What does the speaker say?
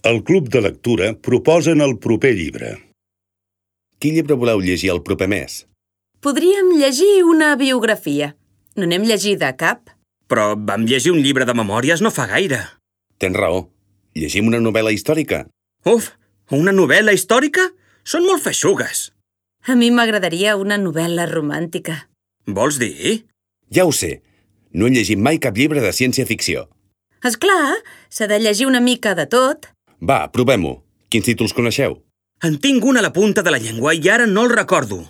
El Club de Lectura proposen el proper llibre. Quin llibre voleu llegir el proper mes? Podríem llegir una biografia. No n'hem llegida cap. Però vam llegir un llibre de memòries no fa gaire. Tens raó. Llegim una novel·la històrica. Uf, una novel·la històrica? Són molt feixugues. A mi m'agradaria una novel·la romàntica. Vols dir? Ja ho sé. No he llegit mai cap llibre de ciència-ficció. És clar, s'ha de llegir una mica de tot. Va, provem-ho. Quins títols coneixeu? En tinc un a la punta de la llengua i ara no el recordo.